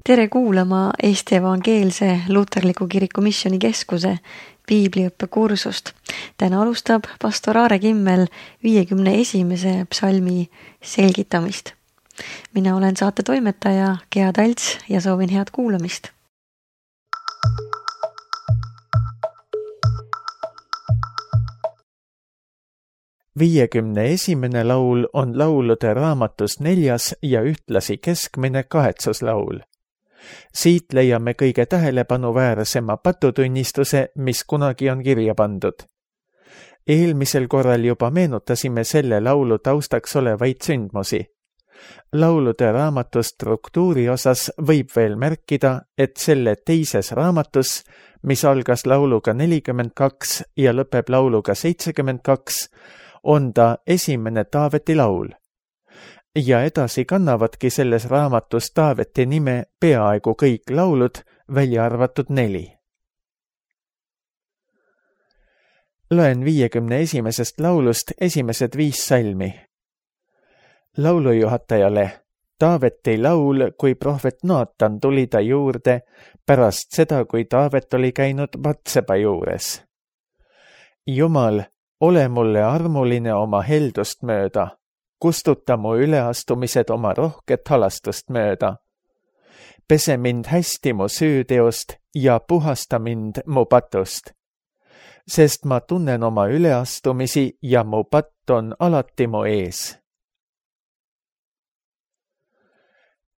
Tere kuulama Eesti Evangeelse Luterliku Kiriku Missioonikeskuse piibliõppekursust. Täna alustab pastor Aare Kimmel 51. psalmi selgitamist. Mina olen saate toimetaja Gea Talts ja soovin head kuulamist. Viiekümne esimene laul on laulude raamatus 4. ja ühtlasi keskmine kahetsuslaul. Siit leiame kõige tähelepanuväärsema patutunnistuse, mis kunagi on kirja pandud. Eelmisel korral juba meenutasime selle laulu taustaks olevaid sündmusi. Laulude raamatu struktuuri osas võib veel märkida, et selle teises raamatus, mis algas lauluga 42 ja lõpeb lauluga 72, on ta esimene Taaveti laul. Ja edasi kannavadki selles raamatus Taaveti nime peaaegu kõik laulud, välja arvatud 4. Loen 51. laulust esimesed 5 salmi. Laulujuhatajale: Taaveti laul, kui prohvet Naatan tuli ta juurde pärast seda, kui Taavet oli käinud Batseba juures. Jumal, ole mulle armuline oma heldust mööda. Kustuta mu üleastumised oma rohket halastust mööda. Pese mind hästi mu süüteost ja puhasta mind mu patust. Sest ma tunnen oma üleastumisi ja mu patt on alati mu ees.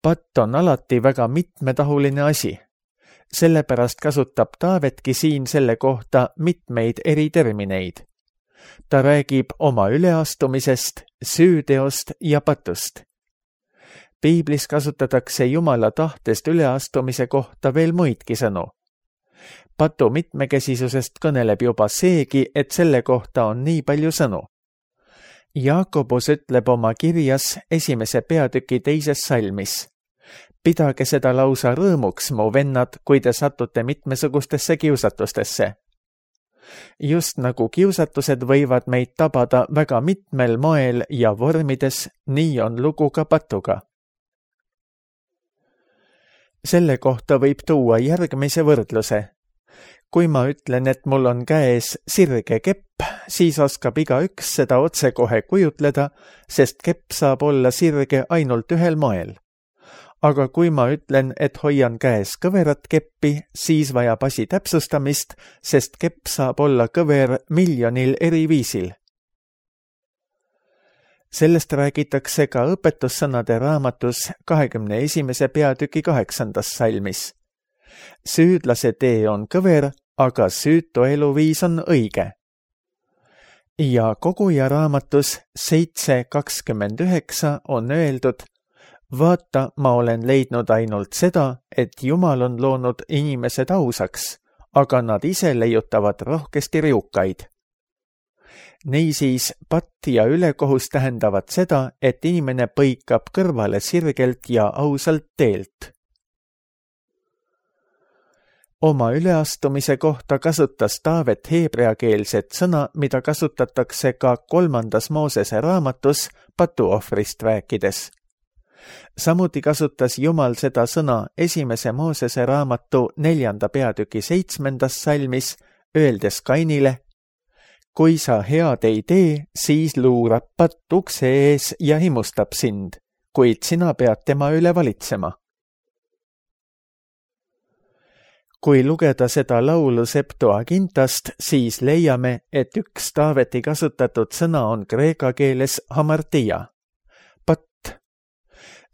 Patt on alati väga mitmetahuline asi. Sellepärast kasutab Taavetki siin selle kohta mitmeid eri termineid. Ta räägib oma üleastumisest, süüteost ja patust. Piiblis kasutatakse Jumala tahtest üleastumise kohta veel muidki sõnu. Patu mitmekesisusest kõneleb juba seegi, et selle kohta on nii palju sõnu. Jaakobus ütleb oma kirjas 1. peatüki 2. salmis: Pidage seda lausa rõõmuks, mu vennad, kui te satute mitmesugustesse kiusatustesse. Just nagu kiusatused võivad meid tabada väga mitmel moel ja vormides, nii on lugu ka patuga. Selle kohta võib tuua järgmise võrdluse. Kui ma ütlen, et mul on käes sirge kepp, siis oskab igaüks seda otsekohe kujutleda, sest kepp saab olla sirge ainult ühel moel. Aga kui ma ütlen, et hoian käes kõverat keppi, siis vajab asi täpsustamist, sest kepp saab olla kõver miljonil eri viisil. Sellest räägitakse ka õpetussõnade raamatus 21. peatüki 8. salmis. Süüdlase tee on kõver, aga süütu eluviis on õige. Ja koguja raamatus 7.29 on öeldud: Vaata, ma olen leidnud ainult seda, et Jumal on loonud inimesed ausaks, aga nad ise leiutavad rohkesti riukaid. Niisiis, patt ja ülekohus tähendavad seda, et inimene põikab kõrvale sirgelt ja ausalt teelt. Oma üleastumise kohta kasutas Taavet heebreakeelset sõna, mida kasutatakse ka 3. Moosese raamatus patuohvrist rääkides. Samuti kasutas Jumal seda sõna 1. Moosese raamatu 4. peatüki 7. salmis, öeldes Kainile: Kui sa head ei tee, siis luurab patt ukse ees ja himustab sind, kuid sina pead tema üle valitsema. Kui lugeda seda laulu Septuagintast, siis leiame, et üks Taaveti kasutatud sõna on kreeka keeles hamartia.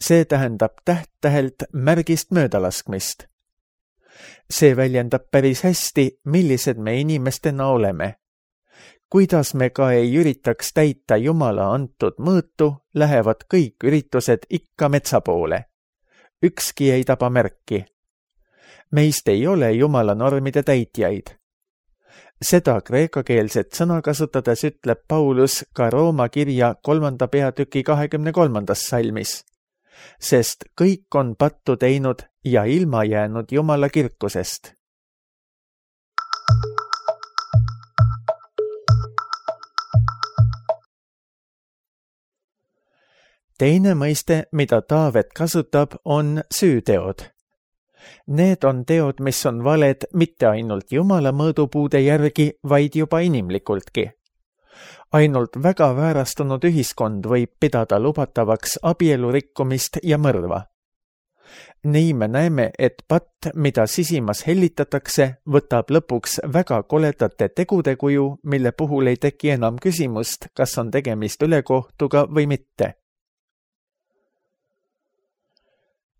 See tähendab täht-tähelt märgist möödalaskmist. See väljendab päris hästi, millised me inimestena oleme. Kuidas me ka ei üritaks täita Jumala antud mõõtu, lähevad kõik üritused ikka metsa poole. Ükski ei taba märki. Meist ei ole Jumala normide täitjaid. Seda kreekakeelset sõna kasutades ütleb Paulus ka Rooma kirja 3. peatüki 23. salmis. Sest kõik on pattu teinud ja ilma jäänud Jumala kirkusest. Teine mõiste, mida Taavet kasutab, on süüteod. Need on teod, mis on valed mitte ainult Jumala mõõdupuude järgi, vaid juba inimlikultki. Ainult väga väärastunud ühiskond võib pidada lubatavaks abielu rikkumist ja mõrva. Nii me näeme, et patt, mida sisimas hellitatakse, võtab lõpuks väga koledate tegude kuju, mille puhul ei teki enam küsimust, kas on tegemist ülekohtuga või mitte.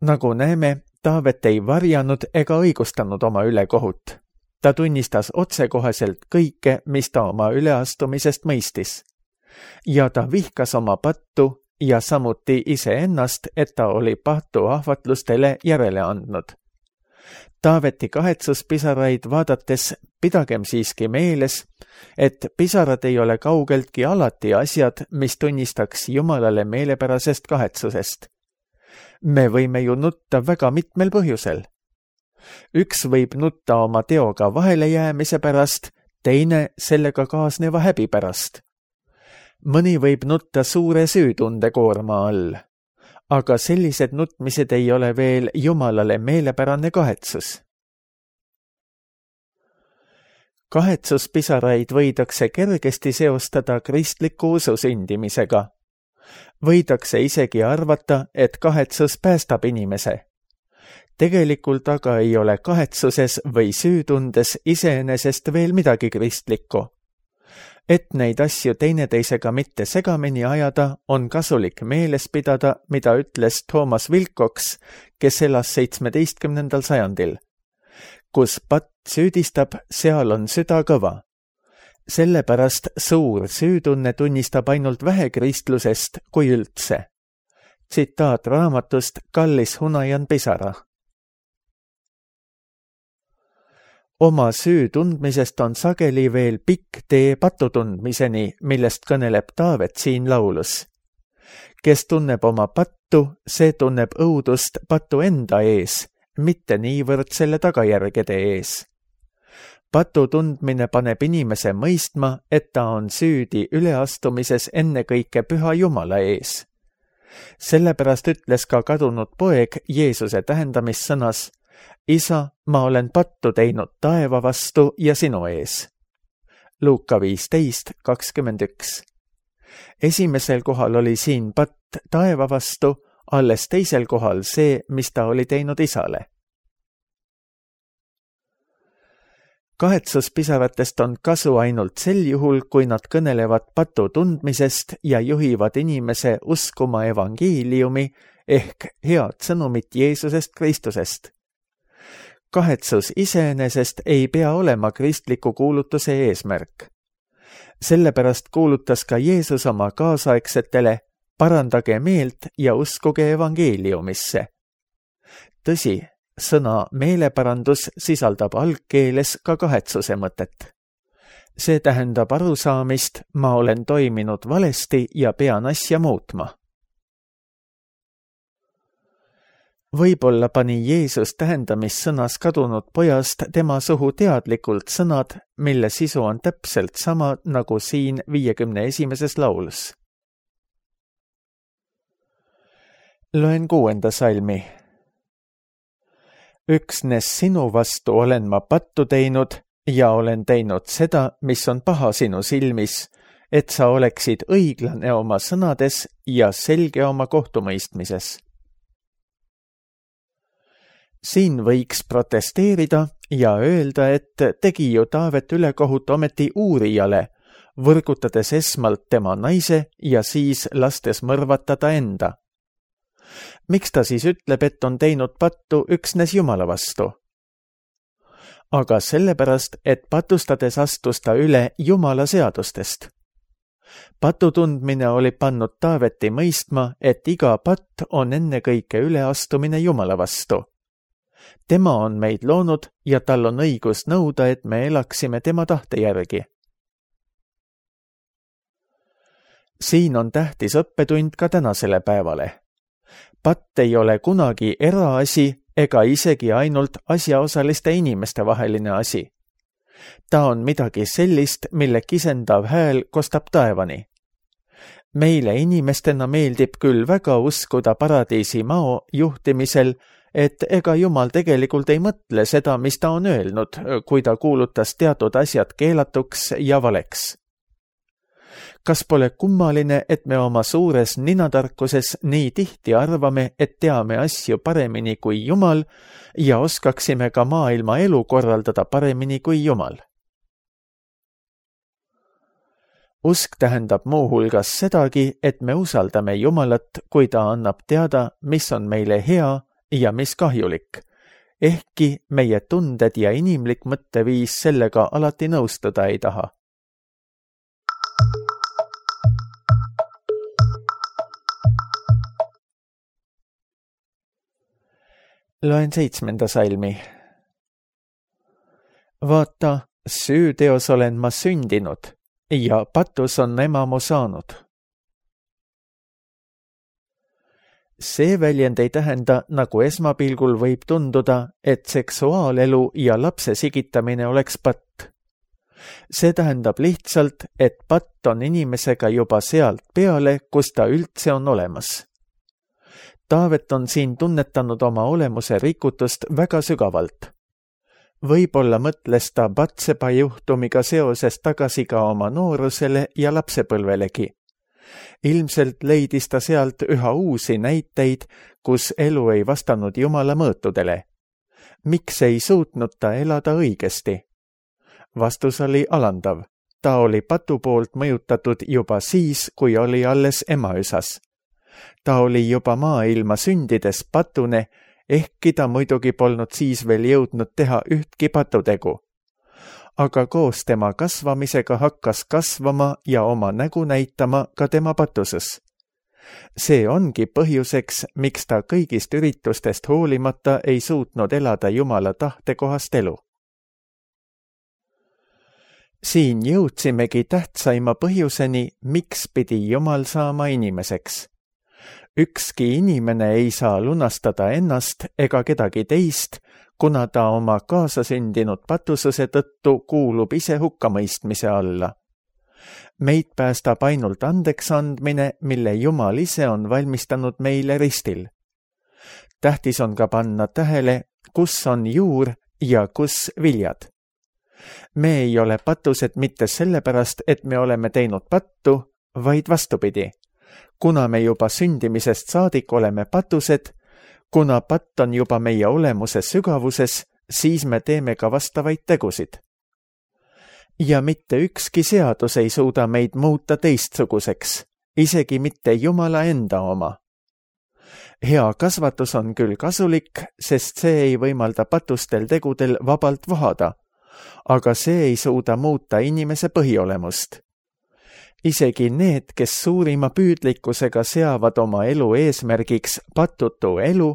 Nagu näeme, Taavet ei varjanud ega õigustanud oma ülekohut. Ta tunnistas otsekoheselt kõike, mis ta oma üleastumisest mõistis. Ja ta vihkas oma pattu ja samuti iseennast, et ta oli patu ahvatlustele järele andnud. Taaveti kahetsuspisaraid vaadates pidagem siiski meeles, et pisarad ei ole kaugeltki alati asjad, mis tunnistaks Jumalale meelepärasest kahetsusest. Me võime ju nutta väga mitmel põhjusel. Üks võib nutta oma teoga vahele jäämise pärast, teine sellega kaasneva häbi pärast. Mõni võib nutta suure süütunde koorma all, aga sellised nutmised ei ole veel Jumalale meelepärane kahetsus. Kahetsuspisaraid võidakse kergesti seostada kristliku usu sündimisega. Võidakse isegi arvata, et kahetsus päästab inimese. Tegelikult aga ei ole kahetsuses või süütundes iseenesest veel midagi kristlikku. Et neid asju teineteisega mitte segamini ajada, on kasulik meeles pidada, mida ütles Thomas Wilcox, kes elas 17. sajandil. Kus patt süüdistab, seal on süda kõva. Sellepärast suur süütunne tunnistab ainult vähe kristlusest kui üldse. Tsitaat raamatust Kallis Hunajan pisara. Oma süü tundmisest on sageli veel pikk tee patu tundmiseni, millest kõneleb Taavet siin laulus. Kes tunneb oma pattu, see tunneb õudust patu enda ees, mitte niivõrd selle tagajärgede ees. Patu tundmine paneb inimese mõistma, et ta on süüdi üleastumises ennekõike püha Jumala ees. Sellepärast ütles ka kadunud poeg Jeesuse tähendamissõnas: Isa, ma olen pattu teinud taeva vastu ja sinu ees. Luuka 15:21. Esimesel kohal oli siin patt taeva vastu, alles teisel kohal see, mis ta oli teinud isale. Kahetsuspisaratest on kasu ainult sel juhul, kui nad kõnelevad patu tundmisest ja juhivad inimese uskuma evangeeliumi ehk head sõnumit Jeesusest Kristusest. Kahetsus iseenesest ei pea olema kristliku kuulutuse eesmärk. Sellepärast kuulutas ka Jeesus oma kaasaegsetele: parandage meelt ja uskuge evangeeliumisse. Tõsi, sõna meeleparandus sisaldab algkeeles ka kahetsuse mõtet. See tähendab arusaamist, ma olen toiminud valesti ja pean asja muutma. Võib-olla pani Jeesus tähendamissõnas kadunud pojast tema suhu teadlikult sõnad, mille sisu on täpselt sama nagu siin 51. laulus. Loen 6. salmi. Üksnes sinu vastu olen ma pattu teinud ja olen teinud seda, mis on paha sinu silmis, et sa oleksid õiglane oma sõnades ja selge oma kohtumõistmises. Siin võiks protesteerida ja öelda, et tegi ju Taavet ülekohut ometi uurijale, võrgutades esmalt tema naise ja siis lastes mõrvata ta enda. Miks ta siis ütleb, et on teinud pattu üksnes Jumala vastu? Aga sellepärast, et patustades astus ta üle Jumala seadustest. Patu tundmine oli pannud Taaveti mõistma, et iga patt on ennekõike üleastumine Jumala vastu. Tema on meid loonud ja tal on õigus nõuda, et me elaksime tema tahte järgi. Siin on tähtis õppetund ka tänasele päevale. Patt ei ole kunagi eraasi ega isegi ainult asjaosaliste inimeste vaheline asi. Ta on midagi sellist, mille kisendav hääl kostab taevani. Meile inimestena meeldib küll väga uskuda paradiisi mao juhtimisel, et ega Jumal tegelikult ei mõtle seda, mis ta on öelnud, kui ta kuulutas teatud asjad keelatuks ja valeks. Kas pole kummaline, et me oma suures ninatarkuses nii tihti arvame, et teame asju paremini kui Jumal ja oskaksime ka maailma elu korraldada paremini kui Jumal? Usk tähendab muuhulgas sedagi, et me usaldame Jumalat, kui ta annab teada, mis on meile hea ja mis kahjulik, ehkki meie tunded ja inimlik mõtteviis sellega alati nõustuda ei taha. Loen 7. salmi. Vaata, süüteos olen ma sündinud ja patus on ema mu saanud. See väljend ei tähenda, nagu esmapilgul võib tunduda, et seksuaalelu ja lapse sigitamine oleks patt. See tähendab lihtsalt, et patt on inimesega juba sealt peale, kus ta üldse on olemas. Taavet on siin tunnetanud oma olemuse rikutust väga sügavalt. Võib-olla mõtles ta Batšeba juhtumiga seoses tagasi ka oma noorusele ja lapsepõlvelegi. Ilmselt leidis ta sealt üha uusi näiteid, kus elu ei vastanud Jumala mõõtudele. Miks ei suutnud ta elada õigesti? Vastus oli alandav. Ta oli patu poolt mõjutatud juba siis, kui oli alles emaüsas. Ta oli juba maailma sündides patune, ehkki ta muidugi polnud siis veel jõudnud teha ühtki patutegu. Aga koos tema kasvamisega hakkas kasvama ja oma nägu näitama ka tema patuses. See ongi põhjuseks, miks ta kõigist üritustest hoolimata ei suutnud elada Jumala tahtekohast elu. Siin jõudsimegi tähtsaima põhjuseni, miks pidi Jumal saama inimeseks. Ükski inimene ei saa lunastada ennast ega kedagi teist, kuna ta oma kaasasündinud patususe tõttu kuulub ise hukkamõistmise alla. Meid päästab ainult andeks andmine, mille Jumal ise on valmistanud meile ristil. Tähtis on ka panna tähele, kus on juur ja kus viljad. Me ei ole patused mitte sellepärast, et me oleme teinud pattu, vaid vastupidi. Kuna me juba sündimisest saadik oleme patused, kuna patt on juba meie olemuse sügavuses, siis me teeme ka vastavaid tegusid. Ja mitte ükski seadus ei suuda meid muuta teistsuguseks, isegi mitte Jumala enda oma. Hea kasvatus on küll kasulik, sest see ei võimalda patustel tegudel vabalt vohada, aga see ei suuda muuta inimese põhiolemust. Isegi need, kes suurima püüdlikkusega seavad oma elu eesmärgiks patutu elu,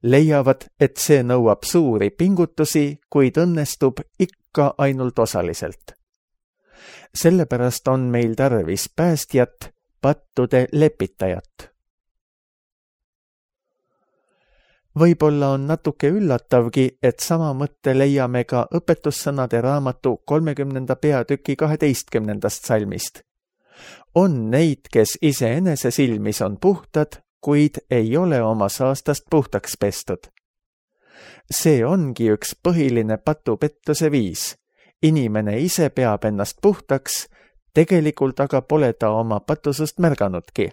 leiavad, et see nõuab suuri pingutusi, kuid õnnestub ikka ainult osaliselt. Sellepärast on meil tarvis päästjat, pattude lepitajat. Võib-olla on natuke üllatavgi, et sama mõtte leiame ka õpetussõnade raamatu 30. peatüki 12. salmist. On neid, kes iseenese silmis on puhtad, kuid ei ole oma saastast puhtaks pestud. See ongi üks põhiline patupettuse viis. Inimene ise peab ennast puhtaks, tegelikult aga pole ta oma patusust märganudki.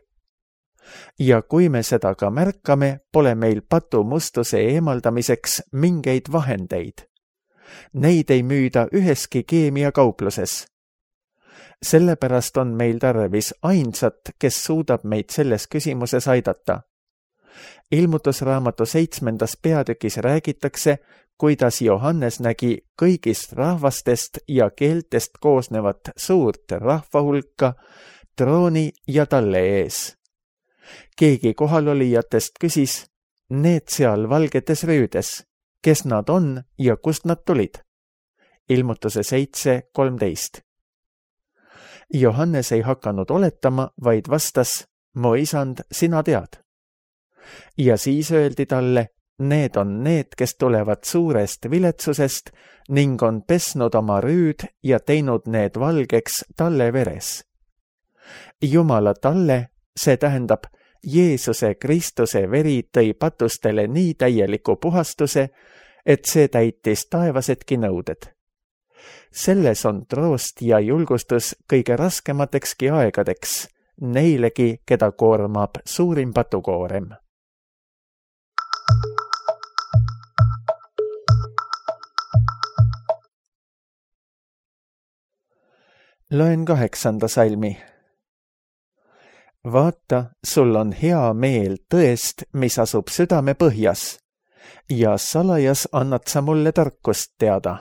Ja kui me seda ka märkame, pole meil patumustuse eemaldamiseks mingeid vahendeid. Neid ei müüda üheski keemiakaupluses. Sellepärast on meil tarvis ainsat, kes suudab meid selles küsimuses aidata. Ilmutusraamatu 7. peatükis räägitakse, kuidas Johannes nägi kõigist rahvastest ja keeltest koosnevat suurt rahvahulka trooni ja talle ees. Keegi kohalolijatest küsis, need seal valgetes rüüdes, kes nad on ja kust nad tulid? Ilmutuse 7:13. Johannes ei hakanud oletama, vaid vastas, mu isand, sina tead. Ja siis öeldi talle, need on need, kes tulevad suurest viletsusest ning on pesnud oma rüüd ja teinud need valgeks talle veres. Jumala talle, see tähendab Jeesuse Kristuse veri tõi patustele nii täieliku puhastuse, et see täitis taevasedki nõuded. Selles on troost ja julgustus kõige raskematekski aegadeks, neilegi, keda koormab suurim patukoorem. Loen 8. salmi. Vaata, sul on hea meel tõest, mis asub südame põhjas, ja salajas annad sa mulle tarkust teada.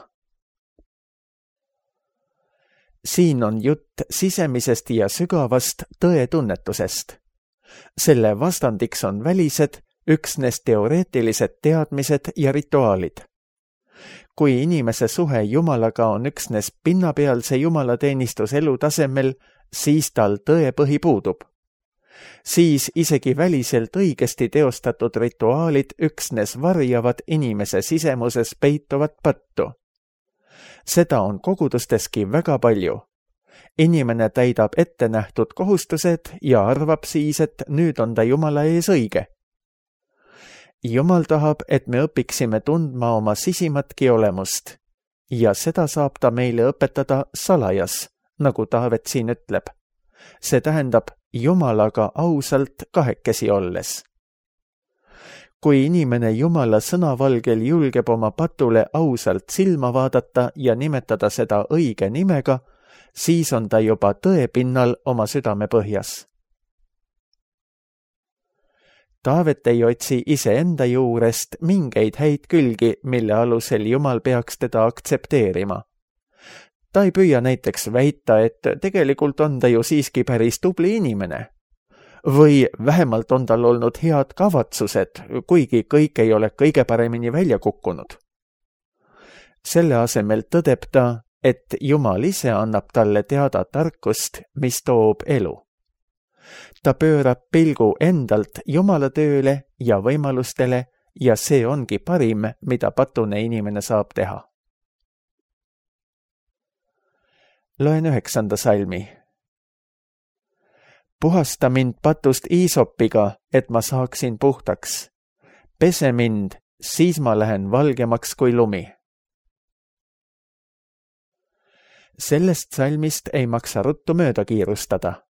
Siin on jutt sisemisest ja sügavast tõetunnetusest. Selle vastandiks on välised, üksnes teoreetilised teadmised ja rituaalid. Kui inimese suhe Jumalaga on üksnes pinnapealse jumalateenistuselu tasemel, siis tal tõepõhi puudub. Siis isegi väliselt õigesti teostatud rituaalid üksnes varjavad inimese sisemuses peituvat pattu. Seda on kogudusteski väga palju. Inimene täidab ettenähtud kohustused ja arvab siis, et nüüd on ta Jumala ees õige. Jumal tahab, et me õpiksime tundma oma sisimatki olemust ja seda saab ta meile õpetada salajas, nagu Taavet siin ütleb. See tähendab Jumalaga ausalt kahekesi olles. Kui inimene Jumala sõnavalgel julgeb oma patule ausalt silma vaadata ja nimetada seda õige nimega, siis on ta juba tõepinnal oma südame põhjas. Taavet ei otsi iseenda juurest mingeid häid külgi, mille alusel Jumal peaks teda aktsepteerima. Ta ei püüa näiteks väita, et tegelikult on ta ju siiski päris tubli inimene. Või vähemalt on tal olnud head kavatsused, kuigi kõik ei ole kõige paremini välja kukkunud. Selle asemel tõdeb ta, et Jumal ise annab talle teada tarkust, mis toob elu. Ta pöörab pilgu endalt Jumala tööle ja võimalustele ja see ongi parim, mida patune inimene saab teha. Loen 9. salmi. Puhasta mind patust iisopiga, et ma saaksin puhtaks. Pese mind, siis ma lähen valgemaks kui lumi. Sellest salmist ei maksa ruttu mööda kiirustada.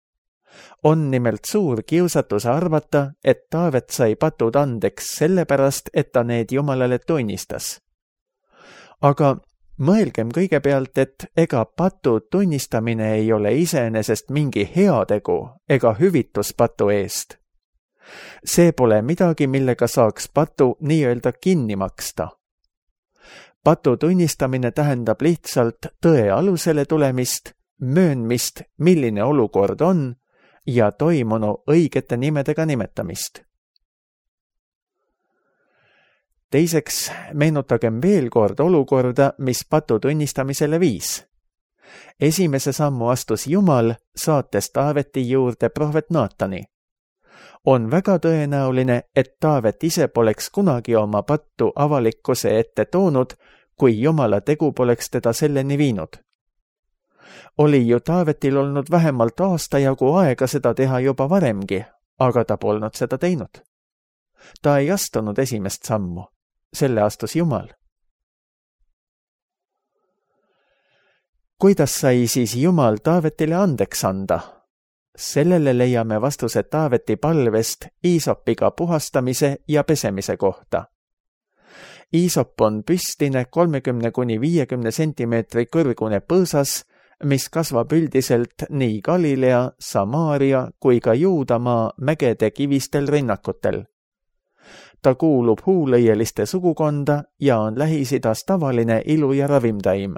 On nimelt suur kiusatus arvata, et Taavet sai patud andeks sellepärast, et ta need Jumalale tunnistas. Aga mõelgem kõigepealt, et ega patu tunnistamine ei ole iseenesest mingi heategu ega hüvitus patu eest. See pole midagi, millega saaks patu nii-öelda kinni maksta. Patu tunnistamine tähendab lihtsalt tõe alusele tulemist, möönmist, milline olukord on, ja toimunu õigete nimedega nimetamist. Teiseks, meenutagem veel kord olukorda, mis patu tunnistamisele viis. Esimese sammu astus Jumal, saates Taaveti juurde prohvet Naatani. On väga tõenäoline, et Taavet ise poleks kunagi oma pattu avalikkuse ette toonud, kui Jumala tegu poleks teda selleni viinud. Oli ju Taavetil olnud vähemalt aasta jagu aega seda teha juba varemgi, aga ta polnud seda teinud. Ta ei astunud esimest sammu, selle astus Jumal. Kuidas sai siis Jumal Taavetile andeks anda? Sellele leiame vastuse Taaveti palvest iisopiga puhastamise ja pesemise kohta. Iisop on püstine 30–50 sentimeetri kõrgune põõsas, mis kasvab üldiselt nii Galilea, Samaaria kui ka Juudamaa mägede kivistel rinnakutel. Ta kuulub huulõieliste sugukonda ja on Lähis-Idas tavaline ilu- ja ravimtaim.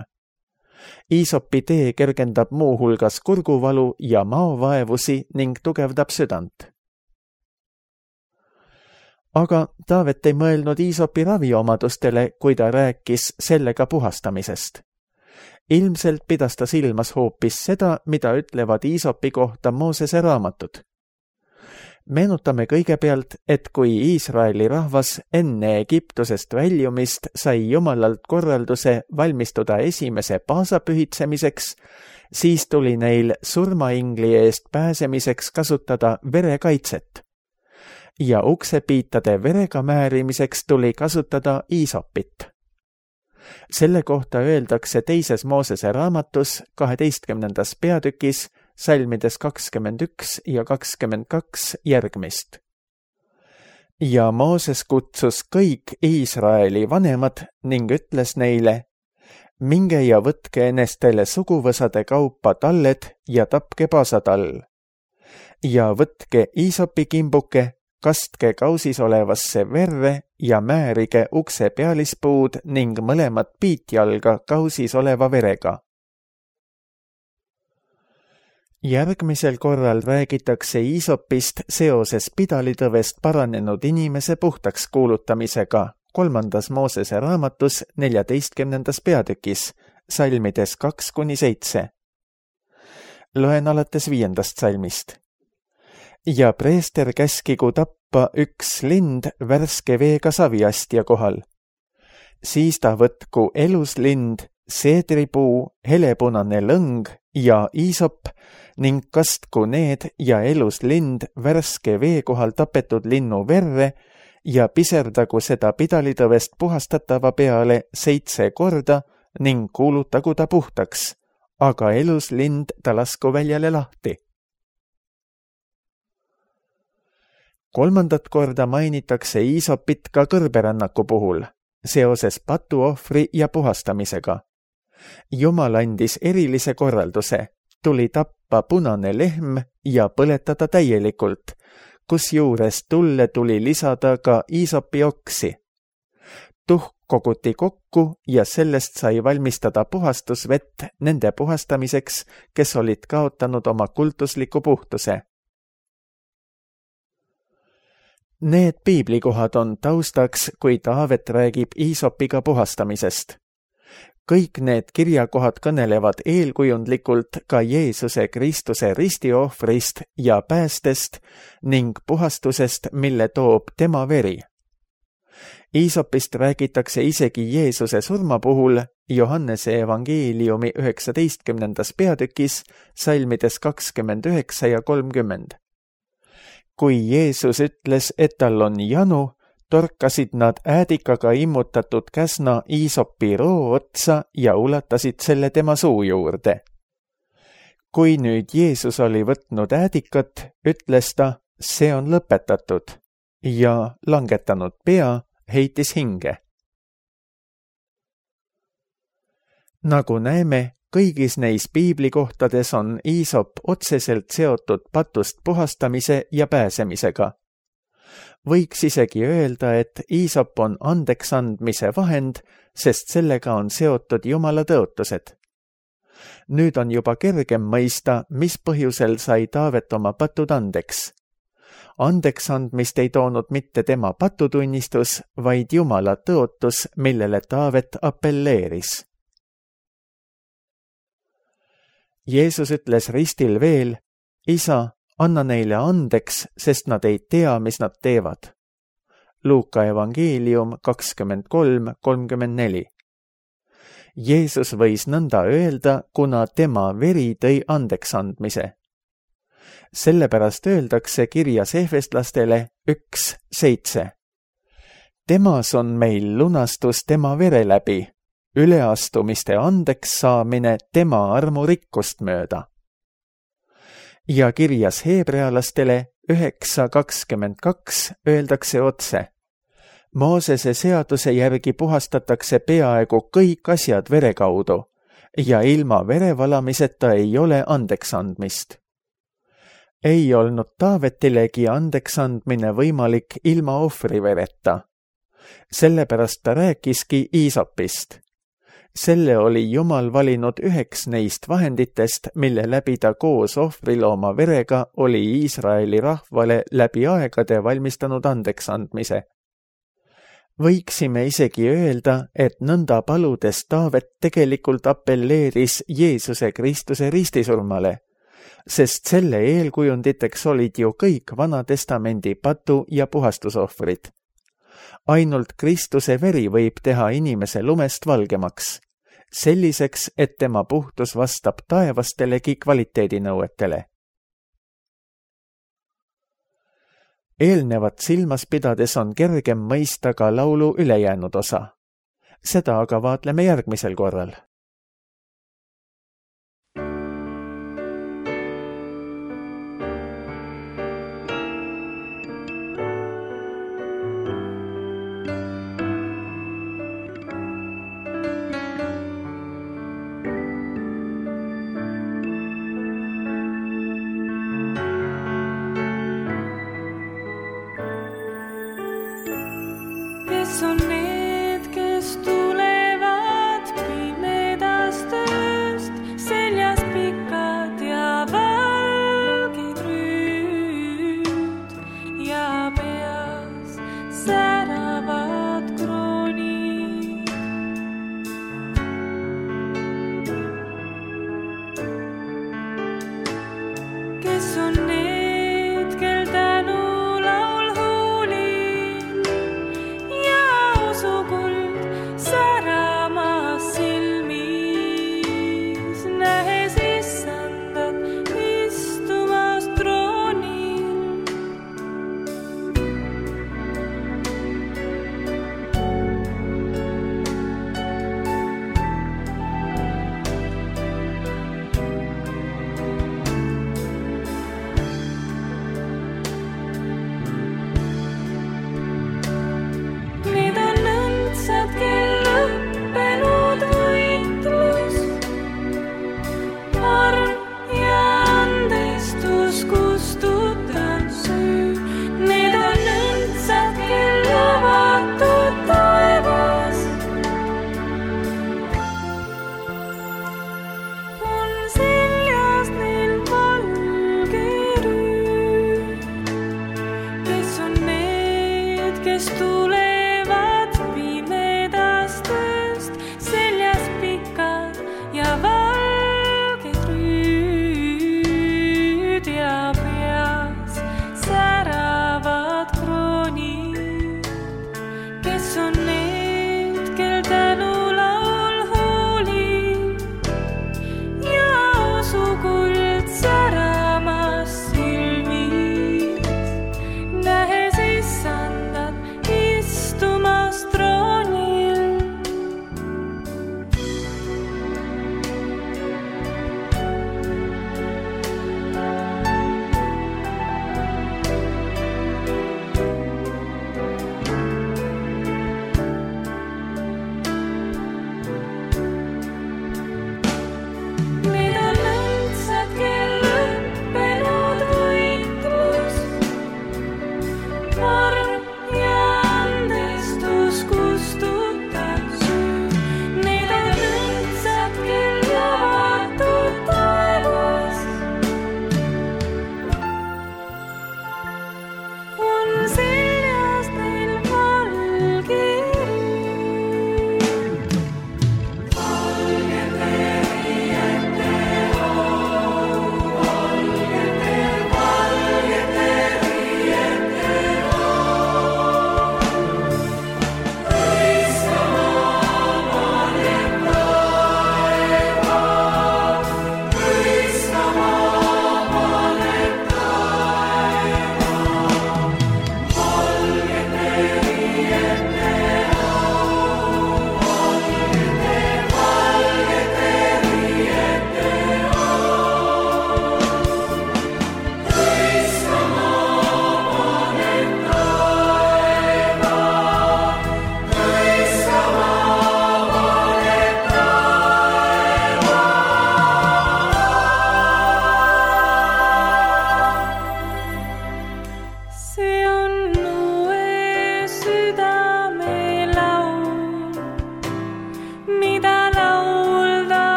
Iisopi tee kergendab muuhulgas kurguvalu ja maovaevusi ning tugevdab südant. Aga Taavet ei mõelnud Iisopi raviomadustele, kui ta rääkis sellega puhastamisest. Ilmselt pidas ta silmas hoopis seda, mida ütlevad Iisopi kohta Moosese raamatud. Meenutame kõigepealt, et kui Iisraeli rahvas enne Egiptusest väljumist sai Jumalalt korralduse valmistuda esimese paasa pühitsemiseks, siis tuli neil surmaingli eest pääsemiseks kasutada verekaitset. ja uksepiitade verega määrimiseks tuli kasutada iisopit. Selle kohta öeldakse 2. Moosese raamatus 12. peatükis salmides 21 ja 22 järgmist. Ja Mooses kutsus kõik Iisraeli vanemad ning ütles neile: minge ja võtke enestele suguvõsade kaupa talled ja tapke paasatall. Ja võtke iisopikimbuke, kastke kausis olevasse verre ja määrige ukse pealispuud ning mõlemad piitjalga kausis oleva verega. Järgmisel korral räägitakse iisopist seoses pidalitõvest paranenud inimese puhtaks kuulutamisega 3. Moosese raamatus 14. peatükis, salmides 2-7. Loen alates 5. salmist. Ja preester käskigu tappa üks lind värske veega saviastja kohal. Siis ta võtku eluslind, seedripuu, helepunane lõng ja iisop ning kastku need ja eluslind värske vee kohal tapetud linnu verre ja piserdagu seda pidalitõvest puhastatava peale 7 korda ning kuulutagu ta puhtaks, aga eluslind ta lasku väljale lahti. 3. korda mainitakse iisopit ka kõrberännaku puhul, seoses patuohvri ja puhastamisega. Jumal andis erilise korralduse, tuli tappa punane lehm ja põletada täielikult, kusjuures tulle tuli lisada ka iisopioksi. Tuhk koguti kokku ja sellest sai valmistada puhastusvett nende puhastamiseks, kes olid kaotanud oma kultusliku puhtuse. Need piiblikohad on taustaks, kui Taavet räägib iisopiga puhastamisest. Kõik need kirjakohad kõnelevad eelkujundlikult ka Jeesuse Kristuse ristiohvrist ja päästest ning puhastusest, mille toob tema veri. Iisopist räägitakse isegi Jeesuse surma puhul Johannese evangeeliumi 19. peatükis, salmides 29 ja 30. Kui Jeesus ütles, et tal on janu, torkasid nad äädikaga immutatud käsna iisopi roo otsa ja ulatasid selle tema suu juurde. Kui nüüd Jeesus oli võtnud äädikat, ütles ta, see on lõpetatud, ja langetanud pea, heitis hinge. Nagu näeme, kõigis neis piiblikohtades on iisop otseselt seotud patust puhastamise ja pääsemisega. Võiks isegi öelda, et iisop on andeksandmise vahend, sest sellega on seotud Jumala tõotused. Nüüd on juba kergem mõista, mis põhjusel sai Taavet oma patud andeks. Andeksandmist ei toonud mitte tema patutunnistus, vaid Jumala tõotus, millele Taavet appelleeris. Jeesus ütles ristil veel, Isa, anna neile andeks, sest nad ei tea, mis nad teevad. Luuka evangeelium 23:34. Jeesus võis nõnda öelda, kuna tema veri tõi andeksandmise. Sellepärast öeldakse kirjas Efeslastele 1:7. Temas on meil lunastus tema vere läbi, üleastumiste andeks saamine tema armurikkust mööda. Ja kirjas heebrealastele 9:22 öeldakse otse. Moosese seaduse järgi puhastatakse peaaegu kõik asjad vere kaudu ja ilma verevalamiseta ei ole andeksandmist. Ei olnud Taavetilegi andeksandmine võimalik ilma ohvrivereta. Sellepärast ta rääkiski iisopist. Selle oli Jumal valinud üheks neist vahenditest, mille läbi ta koos ohvrilooma verega oli Iisraeli rahvale läbi aegade valmistanud andeksandmise. Võiksime isegi öelda, et nõnda paludes Taavet tegelikult appelleeris Jeesuse Kristuse ristisurmale, sest selle eelkujunditeks olid ju kõik Vana Testamendi patu- ja puhastusohvrid. Ainult Kristuse veri võib teha inimese lumest valgemaks, selliseks, et tema puhtus vastab taevastelegi kvaliteedinõuetele. eelnevat silmas pidades on kergem mõista ka laulu ülejäänud osa. Seda aga vaatleme järgmisel korral.